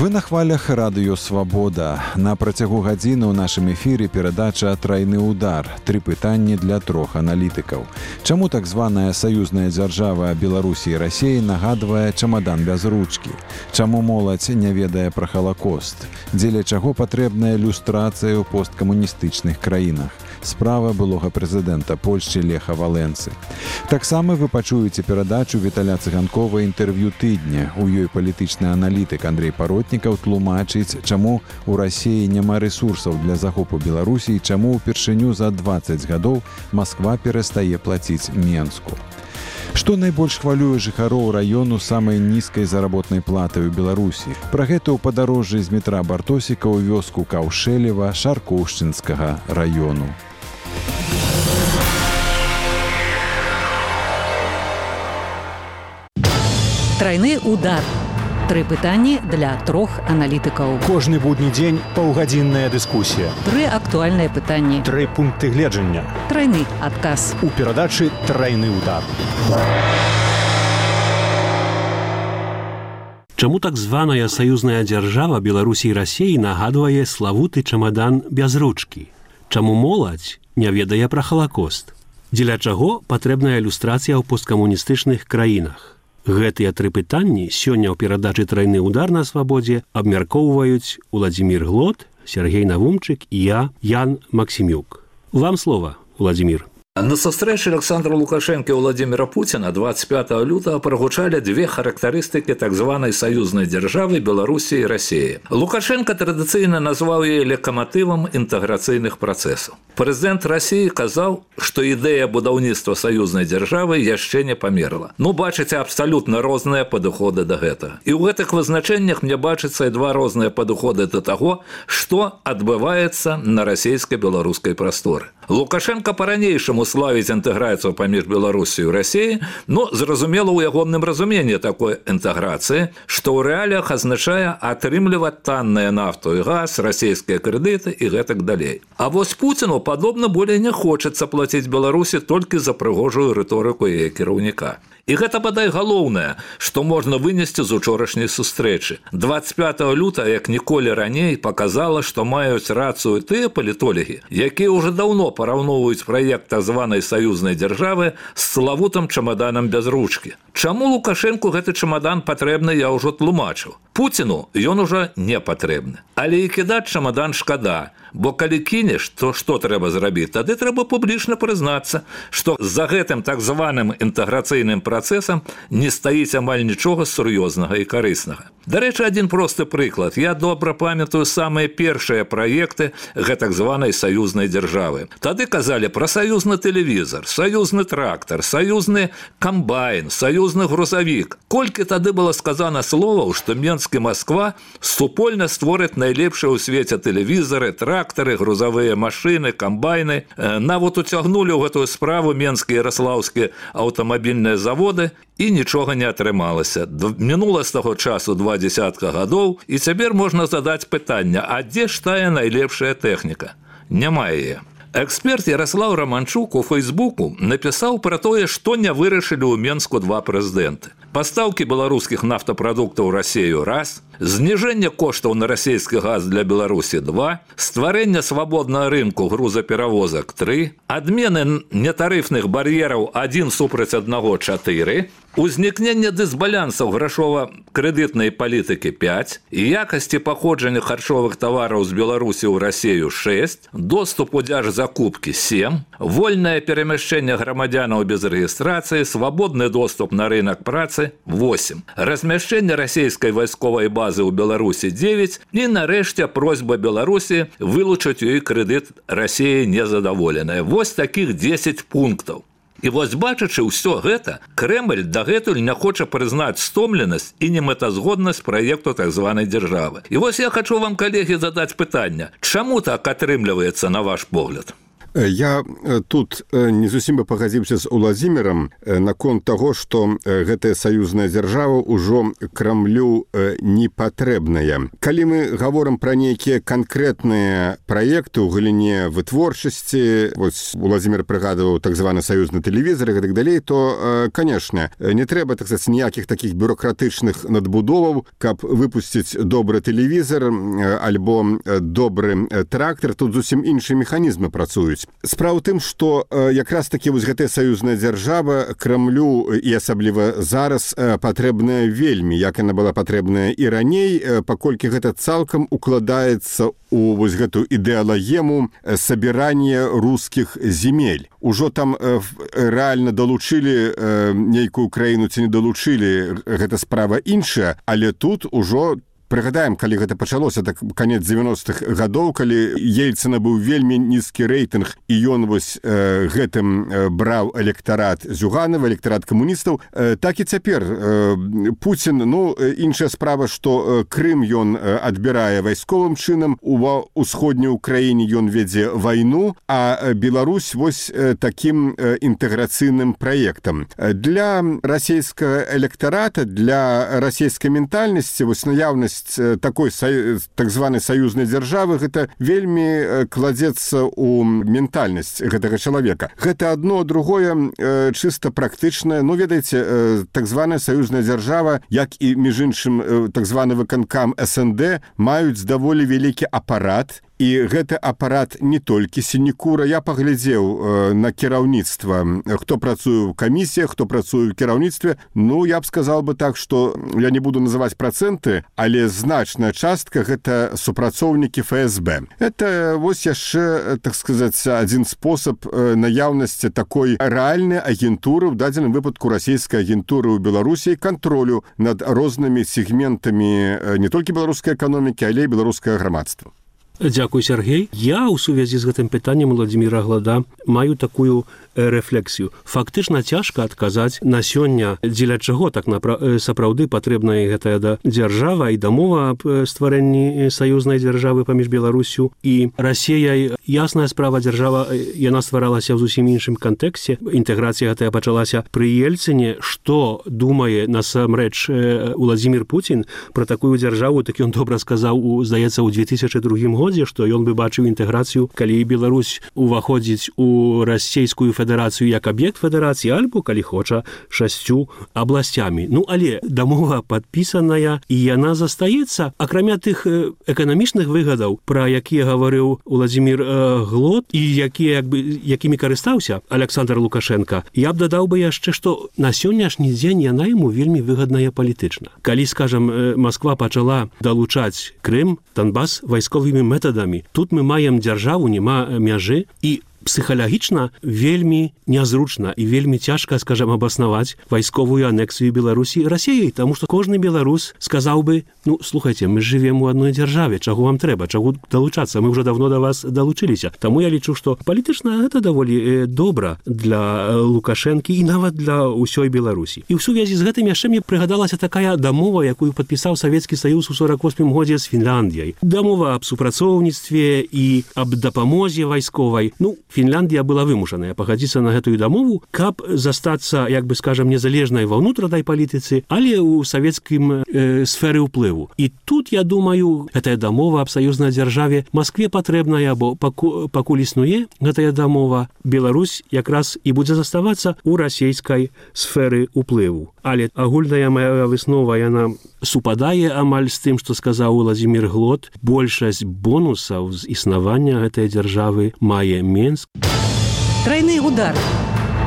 Вы на хвалях радыё «Свабода». На працягу гадзіны ў нашым эфіры перадача «Трайны удар». 3 пытанні для 3 аналітыкаў. Чаму так званая саюзная дзяржава Беларусі і Расіі нагадвае чамадан без ручкі? Чаму моладзь не ведае пра Халакост? Дзеля чаго патрэбная люстрацыя ў посткамуністычных краінах? Справа былога прэзідэнта Польшчы Леха Валенцы. Таксама вы пачуеце перадачу Віталя Цыганкова «Інтэрв'ю тыдня». У ёй палітычны аналітык Андрей Паротнікаў тлумачыць, чаму ў Расіі няма рэсурсаў для захопу Беларусі і чаму ўпершыню за 20 гадоў Масква перастае плаціць Менску. Што найбольш хвалюе жыхароў раёну самай нізкай заработнай платы ў Беларусі? Пра гэта ў падарожжы з метра Бартосіка ў вёску Каўшэлева Шаркоўшчынскага раёну. Трайны удар. 3 пытанні для 3 аналітыкаў. Кожны будні дзень паўгадзінная дыскусія. 3 актуальныя пытанні. 3 пункты гледжання. Трайны адказ. У перадачы «Трайны удар». Чаму так званая саюзная дзяржава Беларусі і Расіі нагадвае славуты чамадан без ручкі? Чаму моладзь не ведае пра Халакост? Дзеля чаго патрэбная ілюстрацыя ў посткамуністычных краінах? Гэтыя 3 пытанні сёння ў перадачы «Трайны удар» на Свабодзе абмяркоўваюць Уладзімір Глот, Сергей Навумчык і я, Ян Максімюк. Вам слова, Уладзімір. На сустрэчы Александра Лукашенка і Владимира Путина 25 лютага прагучалі 2 характарыстыкі так званай саюзнай дзяржавы Беларусі і Расіі. Лукашенко традыцыйна назваў яе лакаматывам інтэграцыйных працэсаў. Прэзідэнт Расіі казаў, што ідэя будаўніцтва саюзнай дзяржавы яшчэ не памерла. Бачыце абсалютна розныя падыходы да гэтага. І ў гэтых вызначэннях мне бачыцца і 2 розныя падыходы да таго, што адбываецца на расійска-беларускай прасторы. Лукашенко па-ранейшаму славіць інтэграцыю паміж Беларусію і Расіяй, зразумела ў ягоным разуменні такой інтэграцыі, што ў рэаліях азначае атрымліваць танныя нафту і газ, расійскія крэдыты і гэтак далей. А вось Пуціну, падобна, болей не хочацца плаціць Беларусі толькі за прыгожую рыторыку яе кіраўніка. І гэта, бадай, галоўнае, што можна вынесці з учорашняй сустрэчы. 25 лютага, як ніколі раней, паказала, што маюць рацыю тыя палітолагі, якія ўжо даўно параўноўваюць праект так званай саюзнай дзяржавы з славутым чамаданам без ручкі. Чаму Лукашэнку гэты чамадан патрэбны, я ўжо тлумачыў. Пуціну ён ужо не патрэбны. Але і кідаць чамадан шкада, бо калі кінеш, то што трэба зрабіць? Тады трэба публічна прызнацца, што за гэтым так званым інтэграцыйным працэсам не стаіць амаль нічога сур'ёзнага і карыснага. Дарэчы, адзін просты прыклад. Я добра памятаю самыя першыя праекты гэтак званай саюзнай дзяржавы. Тады казалі пра саюзны тэлевізар, саюзны трактар, саюзны камбайн, саюзны грузавік. Колькі тады было сказана словаў, што Менск і Масква супольна створаць найлепшыя ў свеце тэлевізары, трактары, грузавыя машыны, камбайны. Нават уцягнулі ў гэтую справу менскія і ярослаўскія аўтамабільныя заводы, і нічога не атрымалася. Мінула з таго часу 20 гадоў, і цяпер можна задаць пытанне, а дзе ж тая найлепшая тэхніка? Няма яе. Эксперт Ярослаў Романчук у Фейсбуку напісаў пра тое, што не вырашылі ў Менску 2 прэзідэнты. Пастаўкі беларускіх нафтапрадуктаў ў Расію – 1, зніжэнне коштаў на расійскі газ для Беларусі – 2, стварэнне свабоднага рынку грузаперавозак – 3, адмены нетарыфных бар'ераў 1 супраць 1 – 4, узнікненне дысбалансаў грашова-крэдытнай палітыкі – 5, якасці паходжання харчовых тавараў з Беларусі ў Расію – 6, доступ у дзяржзакупкі – 7, вольнае перамяшчэнне грамадзянаў без рэгістрацыі, свабодны доступ на рынак працы – 8, размяшчэнне расійскай вайсковай базы ў Беларусі – 9 і, нарэшце, просьба Беларусі вылучыць у ёй крэдыт Расіі незадаволеная. Вось такіх 10 пунктаў. І вось бачачы ўсё гэта, Крэмль дагэтуль не хоча прызнаць стомленасць і немэтазгоднасць праекту так званай дзяржавы. І вось я хачу вам, калегі, задаць пытанне. Чаму так атрымліваецца, на ваш погляд? Я тут не зусім бы пагадзіўся з Уладзімірам наконт таго, што гэтая саюзная дзяржава ўжо Крамлю не патрэбная. Калі мы гаворым пра нейкія канкрэтныя праекты ў галіне вытворчасці, вось Уладзімір прыгадываў так званы саюзны тэлевізор і так далей, то, канешне, не трэба, так сказаць, ніякіх такіх бюрократычных надбудоваў, каб выпусціць добры тэлевізор альбо добры трактор. Тут зусім іншыя механізмы працуюць. Справа ў тым, што якраз такі вось гэтая саюзная дзяржава Крамлю і асабліва зараз патрэбная вельмі, як яна была патрэбная і раней, паколькі гэта цалкам укладаецца у вось гэтую ідэалагему сабірання рускіх земель. Ужо там рэальна далучылі нейкую краіну ці не далучылі, гэта справа іншая, але тут ужо прыгадаем, калі гэта пачалося, так канец 90-х гадоў, калі Ельцына быў вельмі нізкі рэйтынг, і ён вось гэтым браў электарат Зюганова, электарат камуністаў, так і цяпер Пуцін, іншая справа, што Крым ён адбірае вайсковым чынам, у ўсходняй Украіне ён вядзе вайну, а Беларусь вось такім інтэграцыйным праектам. Для расійскага электарата, для расійскай ментальнасці вось наяўнасць такой так званай саюзнай дзяржавы гэта вельмі кладзецца ў ментальнасць гэтага чалавека. Гэта адно, другое чыста практычнае. Ведаеце, так званая саюзная дзяржава, як і між іншым так званы выканкам СНД, маюць даволі вялікі апарат. І гэты апарат не толькі сінекура. Я паглядзеў на кіраўніцтва, хто працуе ў камісіях, хто працуе ў кіраўніцтве. Я б сказал бы так, што я не буду называць працэнты, але значная частка гэта супрацоўнікі ФСБ. Это вось яшчэ, так сказаць, адзін спосаб наяўнасці такой рэальнай агентуры, ў дадзеным выпадку расійскай агентуры ў Беларусі, кантролю над рознымі сегментамі не толькі беларускай эканомікі, але і беларускага грамадства. Дзякуй, Сергей. Я ў сувязі з гэтым пытаннем Уладзіміра Глада маю такую рэфлексію. Фактычна цяжка адказаць на сёння, дзеля чаго так сапраўды патрэбная гэтая дзяржава і дамова аб стварэнні саюзнай дзяржавы паміж Беларусю і Расіяй. Ясная справа, дзяржава, яна стваралася ў зусім іншым кантэксце. Інтэграцыя гэтая пачалася пры Ельцыне. Што думае насамрэч Уладзімір Пуцін пра такую дзяржаву, так ён добра сказаў, здаецца, ў 2002 годзе, што ён бы бачыў інтэграцыю, калі Беларусь уваходзіць у расійскую федэрацыю як аб'ект федэрацыі, альбо, калі хоча, 6 абласцямі. Але дамова падпісаная, і яна застаецца, акрамя тых эканамічных выгадаў, пра якія гаварыў Уладзімір Глод і якімі карыстаўся Александр Лукашенко. Я б дадаў бы яшчэ, што на сённяшні дзень яна яму вельмі выгадная палітычна. Калі, скажам, Масква пачала далучаць Крым, Донбас вайсковымі метадамі, тут мы маем дзяржаву, няма мяжы, і псіхалагічна вельмі нязручна і вельмі цяжка, скажам, абаснаваць вайсковую анексію Беларусі Расіяй, таму што кожны беларус сказаў бы, слухайце, мы жывем у адной дзяржаве, чаго вам трэба, чаго далучацца, мы ўжо давно да вас далучыліся. Таму я лічу, што палітычна гэта даволі добра для Лукашэнкі і нават для ўсёй Беларусі. І ў сувязі з гэтым яшчэ мне прыгадалася такая дамова, якую падпісаў Савецкі Саюз у 48 годзе з Фінляндіяй. Дамова аб супрацоўніцтве і аб дапамозе вайсковай. Фінляндія была вымушаная пагадзіцца на гэтую дамову, каб застацца, як бы, скажам, незалежнай ва ўнутранай палітыцы, але ў савецкім сферы ўплыву. І тут, я думаю, гэтая дамова аб саюзнай дзяржаве Маскве патрэбная, бо пакуль існуе гэтая дамова, Беларусь якраз і будзе заставацца ў расійскай сферы ўплыву. Але агульная мая выснова, яна супадае амаль з тым, што сказаў Уладзімір Глод. Большасць бонусаў з існавання гэтай дзяржавы мае Менск. Тройны удар.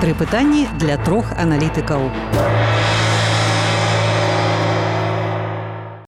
3 пытанні для 3 аналітыкаў.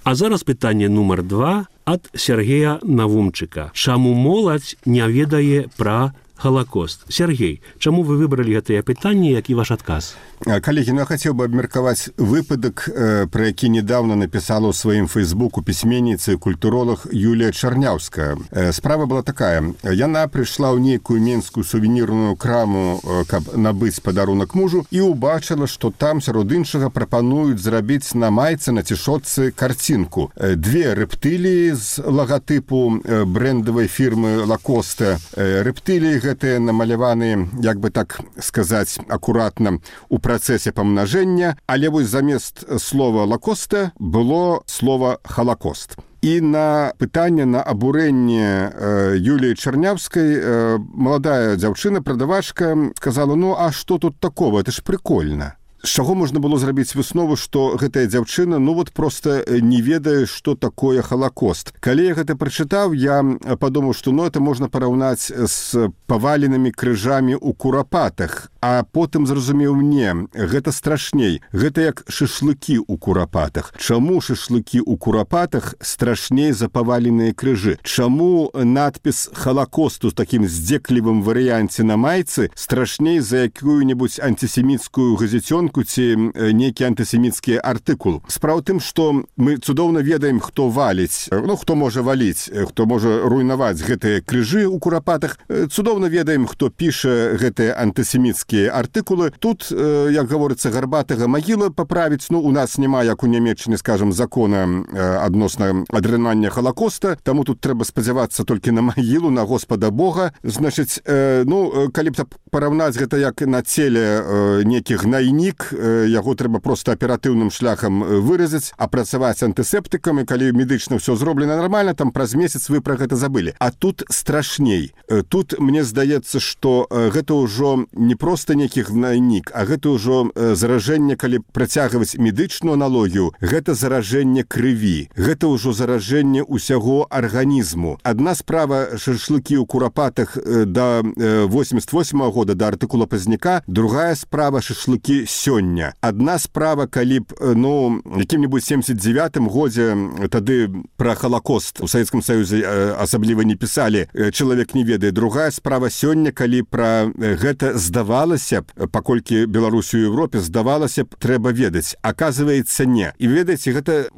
А зараз пытанне нумар 2 ад Сергея Навумчыка. Чаму моладзь не ведае пра Халакост? Сергей, чаму вы выбралі гэтыя пытанні, які ваш адказ? Калегі, я хацеў бы абмеркаваць выпадак, пра які недавно напісала ў сваім фейсбуку пісьменніца і культуролог Юлія Чарняўская. Справа была такая. Яна прыйшла ў нейкую менскую сувенірную краму, каб набыць падарунак мужу, і ўбачыла, што там сярод іншага прапануюць зрабіць на майцы, на цішотцы карцінку. 2 рэптыліі з лагатыпу брэндавай фірмы Лакоста. Рэптыліі гэтыя намаляваны, як бы так сказаць акуратна, у працэсе памнажэння, але вось замест слова «лакоста» было слова «халакост». І на пытанне, на абурэнне Юліі Чарнявскай маладая дзяўчына, прадавачка, сказала: «Ну, а што тут такого? Это ж прикольно». З чаго можна было зрабіць выснову, што гэтая дзяўчына просто не ведае, што такое халакост. Калі я гэта прачытаў, я падумаў, што это можна параўнаць з паваленымі крыжамі ў курапатах, а потым зразумеў: не, гэта страшней. Гэта як шашлыкі ў курапатах. Чаму шашлыкі ў курапатах страшней за паваленыя крыжы? Чаму надпіс халакосту з такім здзеклівым варыянце на майцы страшней за якую-небудзь антисеміцкую газетёнку ці нейкі антысеміцкі артыкул? Справа ў тым, што мы цудоўна ведаем, хто валіць, хто можа валіць, хто можа руйнаваць гэтыя крыжы ў курапатах. Цудоўна ведаем, хто піша гэтыя антысеміцкія артыкулы. Тут, як гаворыцца, гарбатага магіла паправіць. У нас няма, як у Нямецчыне, скажам, закона адносна адрынання халакоста, таму тут трэба спадзявацца толькі на магілу, на Господа Бога. Значыць, калі б параўнаць гэта як на целе нейкі гнайнік, яго трэба проста аператыўным шляхам выразаць, апрацаваць антысептыкам, і калі медычна ўсё зроблена нармальна, там праз месяц вы пра гэта забылі. А тут страшней. Тут мне здаецца, што гэта ўжо не проста нейкі гнайнік, а гэта ўжо заражэнне, калі працягваць медычную аналогію, гэта заражэнне крыві. Гэта ўжо заражэнне ўсяго арганізму. Адна справа шашлыкі ў курапатах да 88-го года, да артыкула Пазняка, другая справа шашлыкі сёння. Адна справа, калі б, якім-небудзь 79-м годзе тады пра халакост у Савецкім Саюзе асабліва не пісалі, чалавек не ведае. Другая справа сёння, калі пра гэта здавалася б, паколькі Беларусі ў Европе, здавалася б, трэба ведаць. Аказваецца, не. І ведаеце, гэта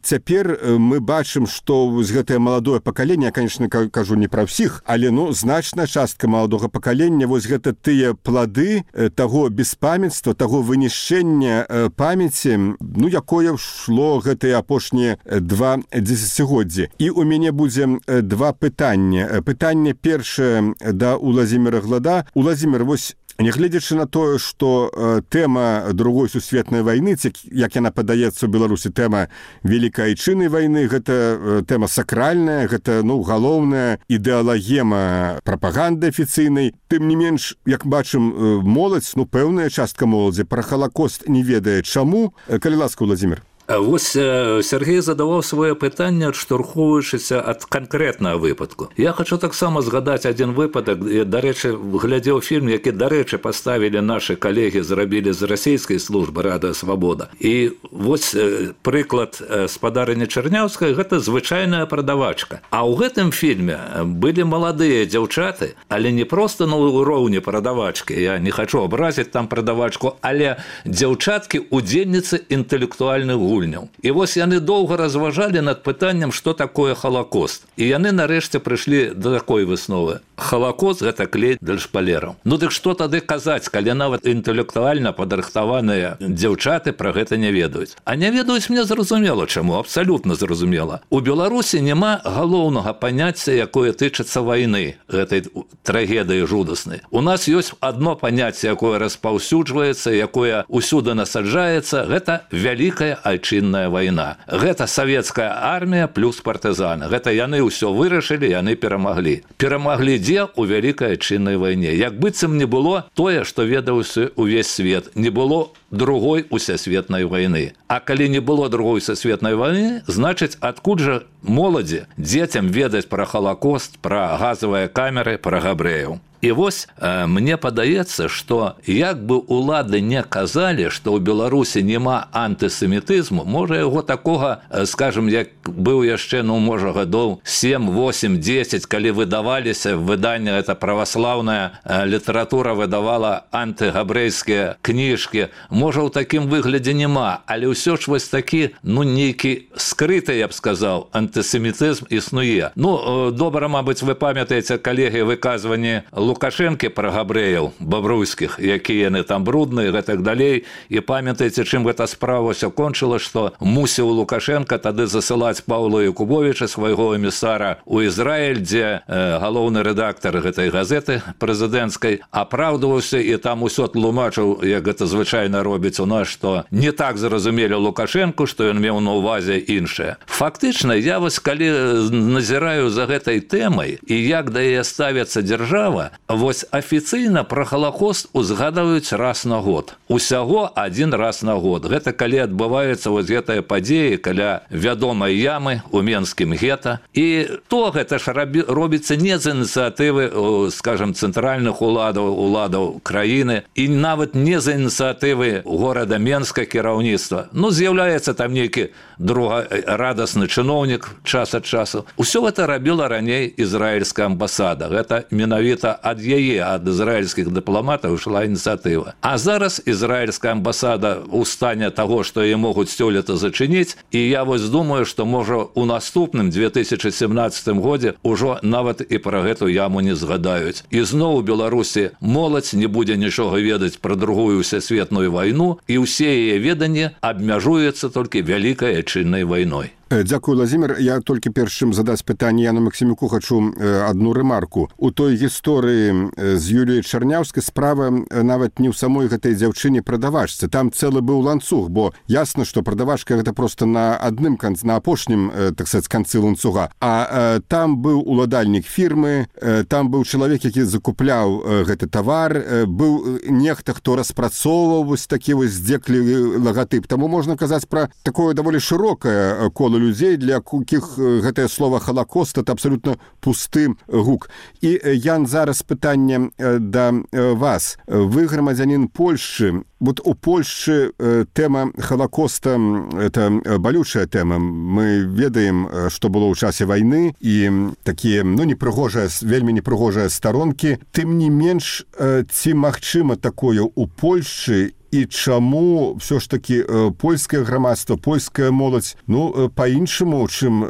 цяпер мы бачым, што гэтае маладое пакаленне, я, конечно, кажу не пра ўсіх, але значная частка маладога пакалення, вось гэта тыя плады таго беспамятства, таго вынішчэння памяці, якое шло гэтыя апошнія 2 дзесяцігоддзі. І у мяне будзе 2 пытання. Пытанне першае да Уладзіміра Глада. Уладзімір, вось нягледзячы на тое, што тэма другой сусветнай вайны, як яна падаецца ў Беларусі, тэма Вялікай Айчыннай вайны, гэта тэма сакральная, гэта, галоўная ідэалагема прапаганды афіцыйнай. Тым не менш, як бачым, моладзь, пэўная частка моладзі пра халакост не ведае. Чаму? Калі ласка, Уладзімір. Вось Сергей задаваў свае пытанне, адштурхоўваючыся ад канкрэтнага выпадку. Я хочу таксама згадаць адзін выпадак. Дарэчы, глядзеў фільм, які, дарэчы, паставілі нашы калегі, зрабілі з расійскай службы «Радыё Свабода». І вось прыклад спадарыні Чарняўскай – гэта звычайная прадавачка. А ў гэтым фільме былі маладыя дзяўчаты, але не проста на ўроўні прадавачкі. Я не хочу абразіць там прадавачку, але дзяўчаткі удзельніцы інтэлектуальных гульняў. І вось яны доўга разважалі над пытаннем, што такое халакост. І яны нарэшце прыйшлі да такой высновы. Халакост – гэта клей для шпалераў. Дык што тады казаць, калі нават інтэлектуальна падрыхтаваныя дзяўчаты пра гэта не ведаюць? А не ведаюць, мне зразумела чаму, абсалютна зразумела. У Беларусі няма галоўнага паняцця, якое тычыцца вайны, гэтай трагедыі жудаснай. У нас ёсць адно паняцце, якое распаўсюджваецца, якое ўсюды насаджаецца, гэта Вялікая Айчынная вайна. Гэта савецкая армія плюс партызаны. Гэта яны ўсё вырашылі, яны перамаглі. Перамаглі дзе? У Вялікай Айчыннай вайне. Як быццам не было тое, што ведаўся увесь свет. Не было другой усесветнай вайны. А калі не было другой усесветнай вайны, значыць, адкуль жа моладзі, дзецям ведаць пра халакост, пра газавыя камеры, пра габрэяў? І вось мне падаецца, што як бы улады не казалі, што ў Беларусі няма антысемітызму, можа яго такога, скажем, як быў яшчэ, можа, гадоў 7, 8, 10, калі выдаваліся выданне, это праваслаўная літаратура выдавала антыгабрэйскія кніжкі, можа, ў такім выглядзе няма, але ўсё ж вось такі, нейкі скрыты, я б сказаў, антысемітызм існуе. Добра, мабыць, вы памятаеце, калегі, выказванні Лукашэнкі пра габрэяў бабруйскіх, якія яны там брудныя, гэтак далей. І памятаеце, чым гэта справа ўсё кончыла, што мусіў Лукашенко тады засылаць Паўла Якубовіча, свайго эмісара, у Ізраіль, дзе галоўны рэдактар гэтай газеты прэзідэнцкай апраўдваўся і там усё тлумачыў, як гэта звычайна робіць у нас, што не так зразумелі Лукашенку, што ён меў на ўвазе іншае. Фактычна, я вось калі назіраю за гэтай тэмай і як да яе ставіцца дзяржава, вось афіцыйна пра Халакост узгадаюць раз на год. Усяго адзін раз на год. Гэта калі адбываецца вось гэтая падзея каля вядомай ямы ў Менскім гета. І то гэта ж робіцца не з ініцыятывы, скажем, цэнтральных уладаў краіны і нават не з ініцыятывы горада Менска кіраўніцтва. Ну, з'яўляецца там нейкі другарадасны чыноўнік час ад часу. Усё гэта рабіла раней ізраільская амбасада. Гэта менавіта ад яе, ад ізраільскіх дыпламатаў ішла ініцыятыва. А зараз ізраільская амбасада ў стане таго, што яе могуць сёлета зачыніць, і я вось думаю, што можа у наступным 2017 годзе ўжо нават і пра гэту яму не згадаюць. І зноў у Беларусі моладзь не будзе нічога ведаць пра другую сусветную вайну, і ўсе яе веданні абмяжуецца толькі вялікай адчыннай вайной. Дзякую, Владзімір. Я толькі перш чым задаць пытанне Яну Максімюку хачу адну рэмарку. У той гісторыі з Юліяй Чарняўскай справа нават не ў самой гэтай дзяўчыне прадавачцы. Там цэлы быў ланцуг, бо ясна, што прадавачка гэта проста на адным канцы, на апошнім, так сказаць, канцы ланцуга. А там быў уладальнік фірмы, там быў чалавек, які закупляў гэты тавар, быў нехта, хто распрацоўваў вось такі вось здзеклівы лагатып. Таму можна казаць пра такое даволі шырокае кола людзей, для якіх гэтае слова «Халакост» — это абсолютно пусты гук. І, Ян, зараз пытанне да вас. Вы грамадзянін Польшчы. Вот у Польшчы тэма Халакоста — это балючая тэма. Мы ведаем, што было ў часе вайны, і такія, ну, непрыгожыя, вельмі непрыгожыя старонкі. Тым не менш, ці магчыма такое ў Польшчы, і чаму ўсё ж такі польскае грамадства, польская моладзь, ну, па-іншаму, чым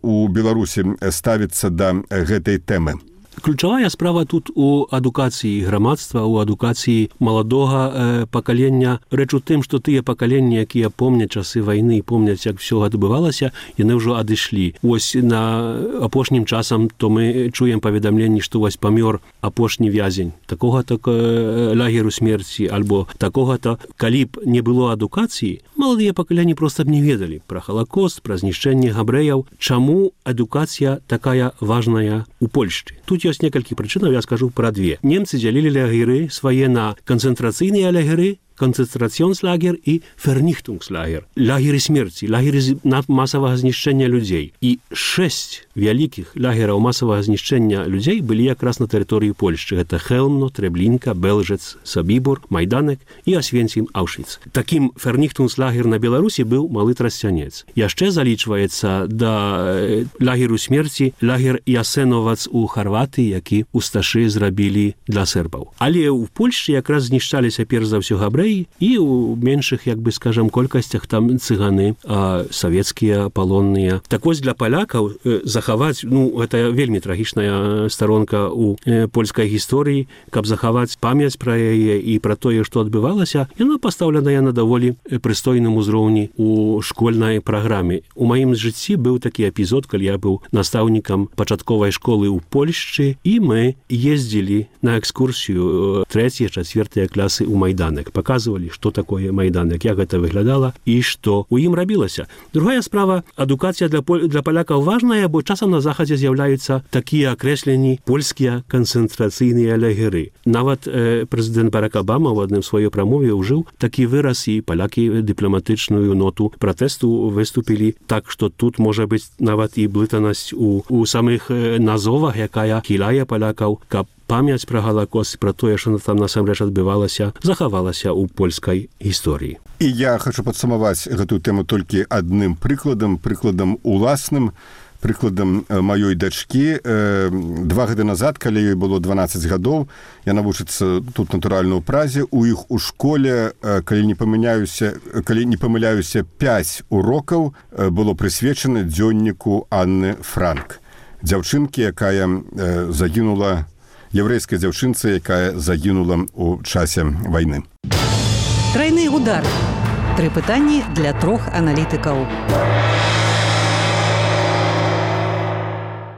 у Беларусі ставіцца да гэтай тэмы? Ключавая справа тут у адукацыі грамадства, у адукацыі маладога пакалення. Рэч у тым, што тыя пакаленні, якія помняць часы вайны, помняць, як все адбывалася, яны ўжо адышлі. Вось на апошнім часам то мы чуем паведамленні, што вось памёр апошні вязень такога-то лагеру смерці, альбо такога-то. Калі б не было адукацыі, маладыя пакаленні проста б не ведалі пра Халакост, пра знішчэнне габрэяў. Чаму адукацыя такая важная у Польшчы? Тут ёсць некалькі прычынаў, я скажу пра две. Немцы дзялілі лагеры свае на канцэнтрацыйныя лагеры, концентрацыёнслагер і ферніхтунгслагер. Лагеры смерці, лагеры масавага знішчэння людзей. І 6 вялікіх лагераў масавага знішчэння людзей былі якраз на тэрыторыі Польшчы. Гэта Хелмно, Трэблінка, Белжец, Сабібор, Майданек і Асвенцім, Аўшвіц. Такім ферніхтунгслагер на Беларусі быў Малы Трасцянец. Яшчэ залічваецца да лагеру смерці лагер Ясеновац у Харватыі, які усташы зрабілі для сербаў. Але ў Польшчы якраз знішчаліся перш за ўсё габрэі, і ў меншых, як бы скажам, колькасцях там цыганы, савецкія, палонныя. Так вось для палякаў захаваць, ну, гэта вельмі трагічная старонка ў польскай гісторыі, каб захаваць памяць пра яе і пра тое, што адбывалася, яна пастаўленая на даволі прыстойным узроўні ў школьнай праграме. У маім жыцці быў такі эпізод, калі я быў настаўнікам пачатковай школы ў Польшчы, і мы ездзілі на экскурсію 3-4 класы ў Майданек. Показывали, что такое Майданек, як гэта выглядала і што у ім рабілася. Другая справа, адукацыя для палякаў важная, бо часам на захадзе з'яўляюцца такія акрэсленні польскія канцэнтрацыйныя лагеры. Нават прэзідэнт Барак Абама ў адным сваёй прамове ўжыў такі выраз, і палякі дыпламатычную ноту пратэсту выступілі так, што тут можа быць нават і блытанасць у самых назовах, якая хіляе палякаў, каб памяць пра Халакост, пра тое, што там насамрэч адбывалася, захавалася ў польскай гісторыі. І я хачу падсумаваць гэтую тэму толькі адным прыкладам уласным, прыкладам маёй дачкі. 2 гады назад, калі ёй было 12 гадоў, яна вучыцца тут натуральна ў Празе, у іх у школе, калі не памыляюся, 5 урокаў было прысвечана дзённіку Анны Франк. Дзяўчынкі, якая загінула яўрэйскай дзяўчынцы, якая загінула ў часе вайны. Трайны удар. 3 пытанні для 3 аналітыкаў.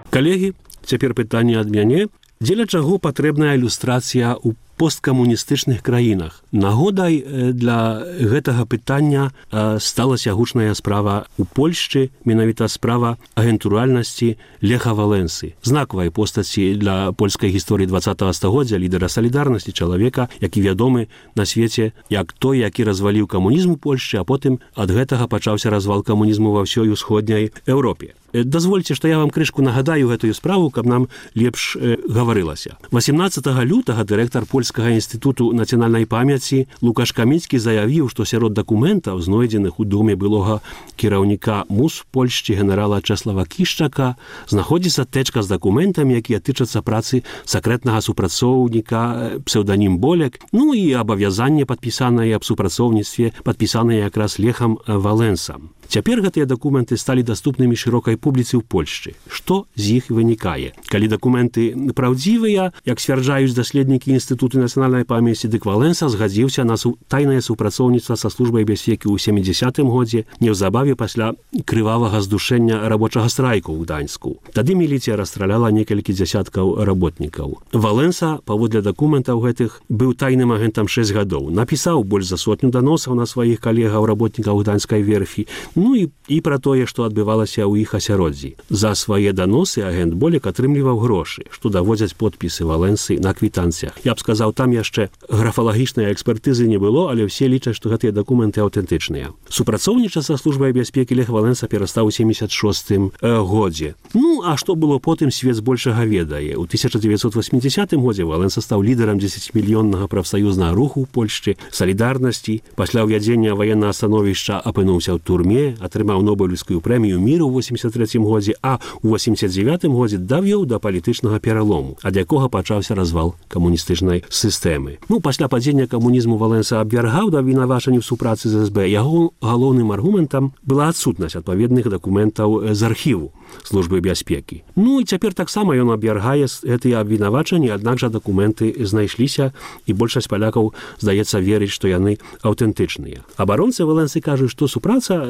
Калегі, цяпер пытанне ад мяне. Дзеля чаго патрэбная ілюстрацыя ў посткамуністычных краінах? Нагодай для гэтага пытання стала сягучная справа ў Польшчы, менавіта справа агентуральнасці Леха Валенсы, знакавай постаці для польскай гісторыі 20-го стагоддзя, лідара салідарнасці, чалавека, які вядомы на свеце як той, які разваліў камунізм у Польшчы, а потым ад гэтага пачаўся развал камунізму ва ўсёй усходняй Еўропе. Дазвольце, што я вам крышку нагадаю гэтую справу, каб нам лепш гаварылася. 18 лютага дырэктар Польскага інстытуту нацыянальнай памяці Лукаш Каміцкі заявіў, што сярод дакументаў, знойдзеных у доме былога кіраўніка МУС Польшчы генерала Чэслава Кішчака, знаходзіцца тэчка з дакументамі, якія тычацца працы сакрэтнага супрацоўніка псеўданім Болек, ну і абавязанне падпісанае аб супрацоўніцтве, падпісанае якраз Лехам Валенсам. Цяпер гэтыя дакументы сталі даступнымі шырокай публіцы ў Польшчы. Што з іх вынікае? Калі дакументы праўдзівыя, як сцвярджаюць даследнікі Інстытуту нацыянальнай памяці, дык Валенса згадзіўся на тайнае супрацоўніцтва са службай бяспекі ў 70-м годзе, неўзабаве пасля крывавага здушэння рабочага страйку ў Гданьску. Тады міліцыя расстраляла некалькі дзясяткаў работнікаў. Валенса, паводле дакументаў гэтых, быў тайным агентам 6 гадоў. Напісаў больш за 100 даносаў на сваіх калегаў работнікаў Гданьскай верфі, ну і пра тое, што адбывалася ў іх асяроддзі. За свае даносы агент Болек атрымліваў грошы, што даводзяць подпісы Валенсы на квітанцыях. Я б сказаў, там яшчэ графалагічнай экспертызы не было, але ўсе лічаць, што гэтыя дакументы аўтэнтычныя. Супрацоўнічаць са службай бяспекі Лех Валенса перастаў у 76-м годзе. Ну, а што было потым, свет збольшага ведае. У 1980 годзе Валенса стаў лідарам 10-мільённага прафсаюзнага руху ў Польшчы, салідарнасці. Пасля ўвядзення ваеннага становішча апынуўся ў турме, атрымаў Нобелеўскую прэмію міру ў 83-м годзе, а ў 89-м годзе давёў да палітычнага пералому, ад якога пачаўся развал камуністычнай сістэмы. Ну, пасля падзення камунізму Валенса абвяргаў да абвінавачання ў супрацы з СБ. Яго галоўным аргументам была адсутнасць адпаведных дакументаў з архіву службы бяспекі. Ну, і цяпер таксама ён абвяргае гэтыя абвінавачанні, аднак жа дакументы знайшліся, і большасць палякаў, здаецца, верыць, што яны аўтэнтычныя. Абаронцы Валенсы кажуць, што супраца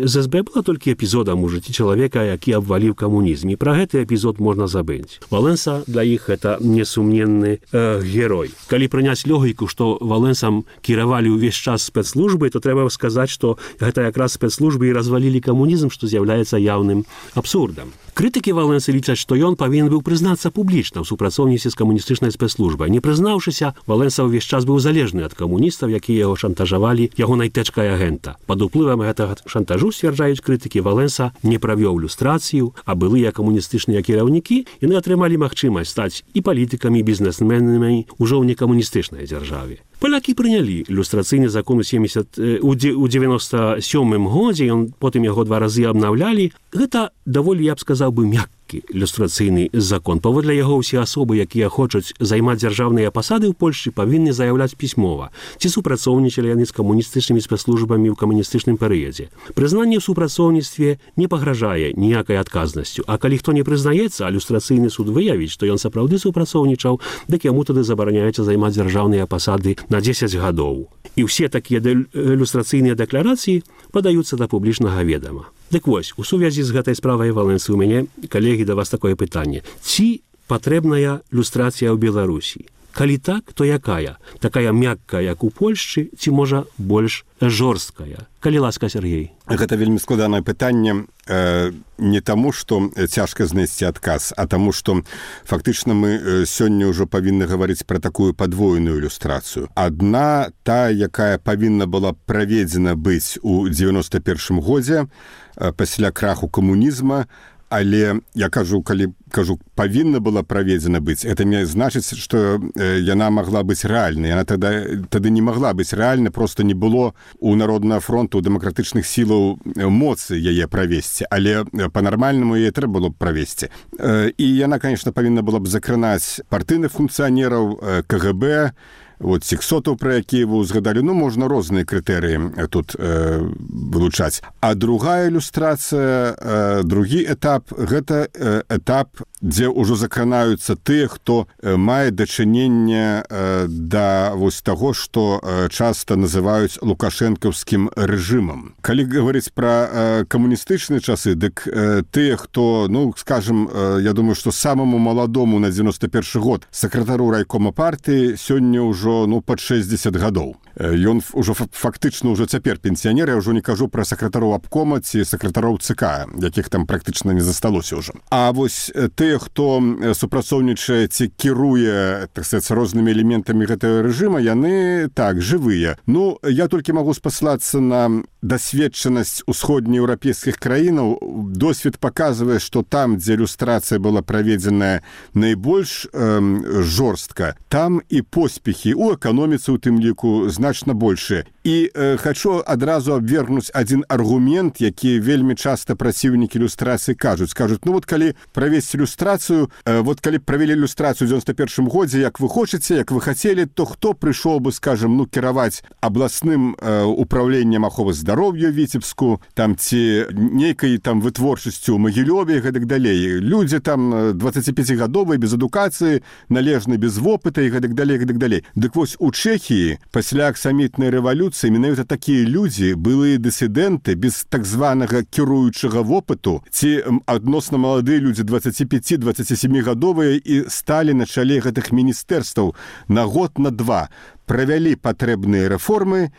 з СБ была толькі эпізодам у жыцці чалавека, які абваліў камунізм, і пра гэты эпізод можна забыць. Валенса для іх гэта несумненны герой. Калі прыняць логіку, што Валенсам кіравалі ўвесь час спецслужбы, то трэба сказаць, што гэта якраз спецслужбы і развалілі камунізм, што з'яўляецца яўным абсурдам. Крытыкі Валенсы лічаць, што ён павінен быў прызнацца публічна ў супрацоўніцтве з камуністычнай спецслужбай. Не прызнаўшыся, Валенса ўвесь час быў залежны ад камуністаў, якія яго шантажавалі ягонай тэчкай агента. Пад уплывам гэтага шантажу, сцвярджаюць крытыкі, Валенса не правёў люстрацыю, а былыя камуністычныя кіраўнікі яны атрымалі магчымасць стаць і палітыкамі, і бізнесменамі ўжо ў некамуністычнай дзяржаве. Палякі прынялі ілюстрацыйны закон у 97-м годзе, потым яго 2 разы абнаўлялі. Гэта даволі, я б сказаў бы, мяккі ілюстрацыйны закон. Паводле яго ўсе асобы, якія хочуць займаць дзяржаўныя пасады ў Польшчы, павінны заяўляць пісьмова, ці супрацоўнічалі яны з камуністычнымі спецслужбамі ў камуністычным перыядзе. Прызнанне ў супрацоўніцтве не пагражае ніякай адказнасцю, а калі хто не прызнаецца, а ілюстрацыйны суд выявіць, што ён сапраўды супрацоўнічаў, дык яму тады забараняецца займаць дзяржаўныя пасады на 10 гадоў. І ўсе такія ілюстрацыйныя дэкларацыі падаюцца да публічнага ведама. Дык вось, у сувязі з гэтай справай Валенсы у мяне, калегі, да вас такое пытанне. Ці патрэбная люстрацыя ў Беларусі? Калі так, то якая? Такая мяккая, як у Польшчы, ці, можа, больш жорсткая? Калі ласка, Сергей. Гэта вельмі складанае пытанне не таму, што цяжка знайсці адказ, а таму, што фактычна мы сёння ўжо павінны гаварыць пра такую падвойную ілюстрацыю. Адна, та, якая павінна была праведзена быць у 91-м годзе пасля краху камунізма, але я кажу, калі павінна была праведзена быць, это не значыць, што яна магла быць рэальнай. Яна тады не магла быць рэальна, проста не было у Народнага фронту, у дэмакратычных сілаў моцы яе правесці, але па-нармальнаму яе трэба было б правесці. І яна, конечно, павінна была б закранаць партыйных функцыянераў, КГБ, вот сексотаў, пра якія вы узгадалі, ну, можна розныя крытэрыі тут вылучаць. А другая ілюстрацыя, другі этап, гэта этап, дзе ўжо закранаюцца тыя, хто мае дачыненне да вось таго, што часта называюць лукашэнкаўскім рэжымам. Калі гаварыць пра камуністычныя часы, дык тыя, хто, ну, скажем, я думаю, што самаму маладому на 91 год сакратару райкома партыі сёння ўжо, ну, пад 60 гадоў. Ён ўжо фактычна ўжо цяпер пенсіянер, я ўжо не кажу пра сакратароў абкома ці сакратароў ЦК, якіх там практычна не засталося ўжо. А вось тыя, хто супрацоўнічае ці кіруе, так сказаць, рознымі элементамі гэтага рэжыма, яны так, жывыя. Ну, я толькі магу спаслацца на дасведчанасць усходнееўрапейскіх краінаў. Досвед паказвае, што там, дзе ілюстрацыя была праведзеная найбольш жорстка, там і поспехі ў эканоміцы у тым ліку значна большыя. І хачу адразу абвергнуць адзін аргумент, які вельмі часта праціўнікі ілюстрацыі кажуць. Кажуць, ну вот калі правесці ілюстрацыю, вот калі правялі ілюстрацыю ў 91 годзе, як вы хочаце, як вы хацелі, то хто прыйшоў бы, скажем, ну, кіраваць абласным управленнем аховы здароўя Віцебску, там ці нейкай там вытворчасцю ў Магілёве і гэтак далей. Людзі там 25гадовыя, без адукацыі, належна без вопыта і гэтак далей, гэтак далей. Дык вось у Чэхіі пасля аксамітнай рэвалюцыі менавіта такія людзі, былыя дысідэнты без так званага кіруючага вопыту, ці адносна маладыя людзі 25-27гадовыя і сталі на чале гэтых міністэрстваў на год, на два, правялі патрэбныя рэформы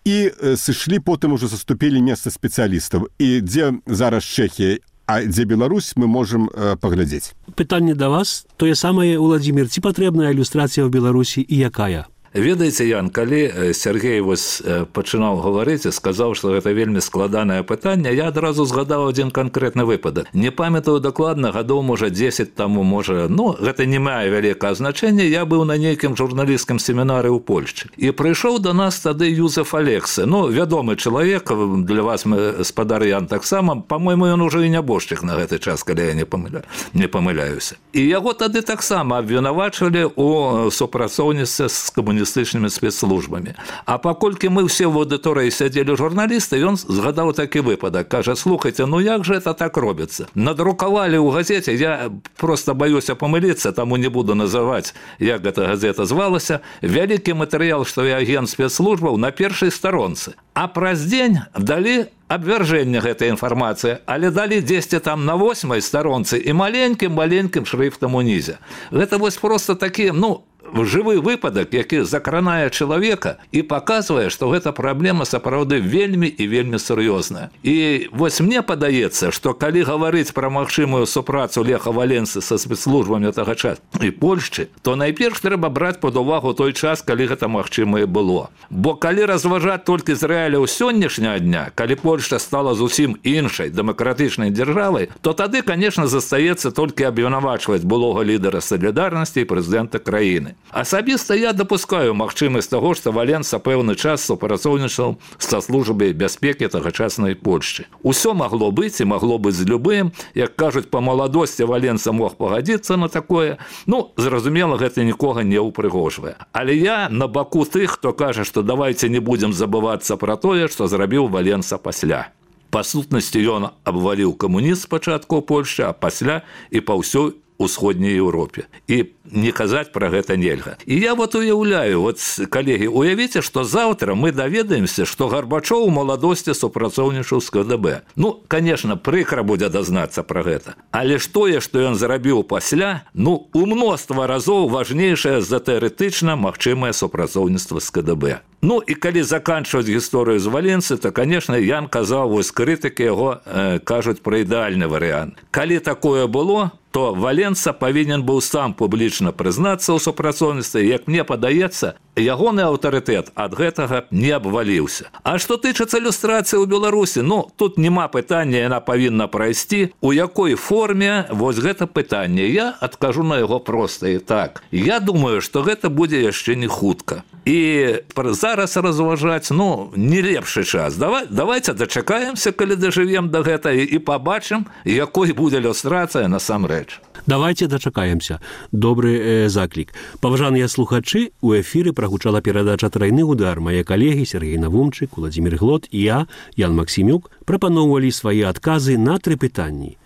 і сышлі, потым ужо заступілі месца спецыялістаў. І дзе зараз Чэхія, а дзе Беларусь, мы можам паглядзець. Пытанне да вас, тое самае, Уладзімір, ці патрэбная ілюстрацыя ў Беларусі і якая? Ведаеце, Ян, калі Сергей вось пачынаў гаварыць і сказаў, што гэта вельмі складанае пытанне, я адразу згадаў адзін канкрэтны выпадак. Не памятаю дакладна, гадоў, можа, 10 таму, можа, ну, гэта не мае вялікае значэння. Я быў на нейкім журналісцкім семінары ў Польшчы. І прыйшоў да нас тады Юзеф Алексе. Ну, вядомы чалавек, для вас, спадар Ян, таксама, па-мойму, ён ужо і нябожчык на гэты час, калі я не памыляюся. І яго тады таксама абвінавачвалі ў супрацоўніцтве з камуністычнымі спецслужбамі. А паколькі мы ўсе в аўдыторыі сядзелі журналісты, ён згадаў такі выпадак. Кажа, слухайце, ну як же это так робіцца? Надрукавалі ў газеце, я просто баюся памыліцца, таму не буду называць, як гэта газета звалася, вялікі матэрыял, што я агент спецслужбаў на першай старонцы. А праз дзень далі абвяржэнне гэтай інфармацыі, але далі дзесьці там на 8-й старонцы і маленькім шрыфтам унізе. Гэта вось просто такі, ну, жывы выпадак, які закранае чалавека і паказвае, што гэта праблема сапраўды вельмі і вельмі сур'ёзная. І вось мне падаецца, што калі гаварыць пра магчымую супрацу Леха Валенсы са спецслужбамі тага часу і Польшчы, то найперш трэба браць пад увагу той час, калі гэта магчымае было. Бо калі разважаць толькі з рэаліяў сённяшняга дня, калі Польшча стала зусім іншай дэмакратычнай дзяржавай, то тады, конечно, застаецца толькі абвінавачваць былога лідара салідарнасці і прэзідэнта краіны. Асабіста я дапускаю магчымасць таго, што Валенса пэўны час супрацоўнічаў са службай бяспекі тагачаснай Польшчы. Усё магло быць і магло быць з любым. Як кажуць, па маладосці Валенса мог пагадзіцца на такое. Ну, зразумела, гэта нікога не ўпрыгожвае. Але я на баку тых, хто кажа, што давайце не будзем забывацца пра тое, што зрабіў Валенса пасля. Па сутнасці ён абваліў камунізм спачатку ў Польшчы, а пасля і па ўсёй усходняй Еўропе. І не казаць пра гэта нельга. І я вот уяўляю, вот, калегі, уявіце, што заўтра мы даведаемся, што Гарбачоў у маладосці супрацоўнічаў з КДБ. Ну, конечно, прыкра будзе дазнацца пра гэта. Але ж тое, што ён зрабіў пасля, ну, у мноства разоў важнейшае за тэарэтычна магчымае супрацоўніцтва з КДБ. Ну, і калі заканчваць гісторыю з Валенсы, то, конечно, Ян казаў, вось крытыкі яго кажуць пра ідэальны варыянт. Калі такое было, то Валенса павінен быў сам публічна прызнацца ў супрацоўніцтве, як мне падаецца, ягоны аўтарытэт ад гэтага не абваліўся. А што тычыцца ілюстрацыі ў Беларусі, ну, тут няма пытання, яна павінна прайсці. У якой форме, вось гэта пытанне. Я адкажу на яго проста і так. Я думаю, што гэта будзе яшчэ не хутка. І зараз разважаць, ну, не лепшы час. Давайте дачакаемся, калі дажывем да гэтага, і пабачым, якой будзе ілюстрацыя насамрэч. рэч. Давайте дачакаемся. Добры заклік. Паважаныя слухачы, у эфіры прагучала перадача «Трайны удар». Мае калегі Сергей Навумчык, Уладзімір Глот і я, Ян Максімюк, прапаноўвалі свае адказы на 3 пытанні.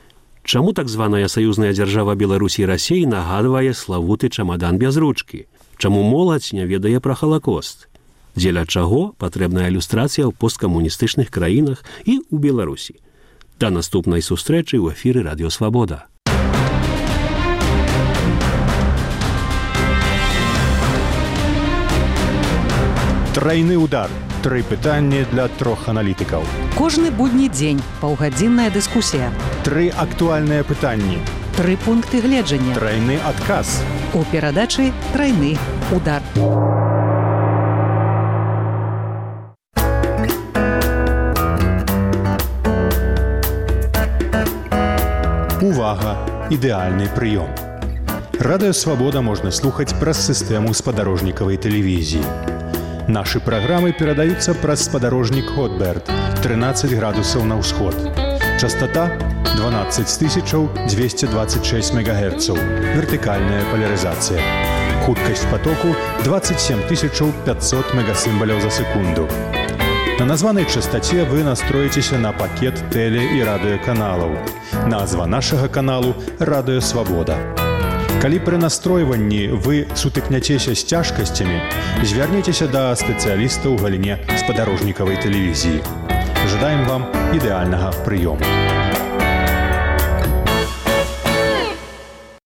Чаму так званая саюзная дзяржава Беларусі і Расіі нагадвае славуты чамадан без ручкі? Чаму моладзь не ведае пра Халакост? Дзеля чаго патрэбная ілюстрацыя ў посткамуністычных краінах і ў Беларусі? Да наступнай сустрэчы ў эфіры Радыё Свабода. Трайны удар. 3 пытанні для 3 аналітыкаў. Кожны будні дзень паўгадзінная дыскусія. 3 актуальныя пытанні. 3 пункты гледжання. Трайны адказ. У перадачы «Трайны удар». Увага! Ідэальны прыём. Радыё Свабода можна слухаць праз сістэму спадарожнікавай тэлевізіі. Нашы праграмы перадаюцца праз спадарожнік Хотберт, 13 градусаў на ўсход. Частота 12226 МГц. Вертыкальная полярызацыя. Хуткасць потоку 27500 мегасімбаляў за секунду. На названай частоце вы настроіцеся на пакет тэле- і радыёканалаў. Назва нашага каналу «Радыё Свабода». Калі пры настройванні вы сутыкняцеся з цяжкасцямі, звярніцеся да спецыяліста ў галіне спадарожнікавай тэлевізіі. Жадаем вам ідэальнага прыёму.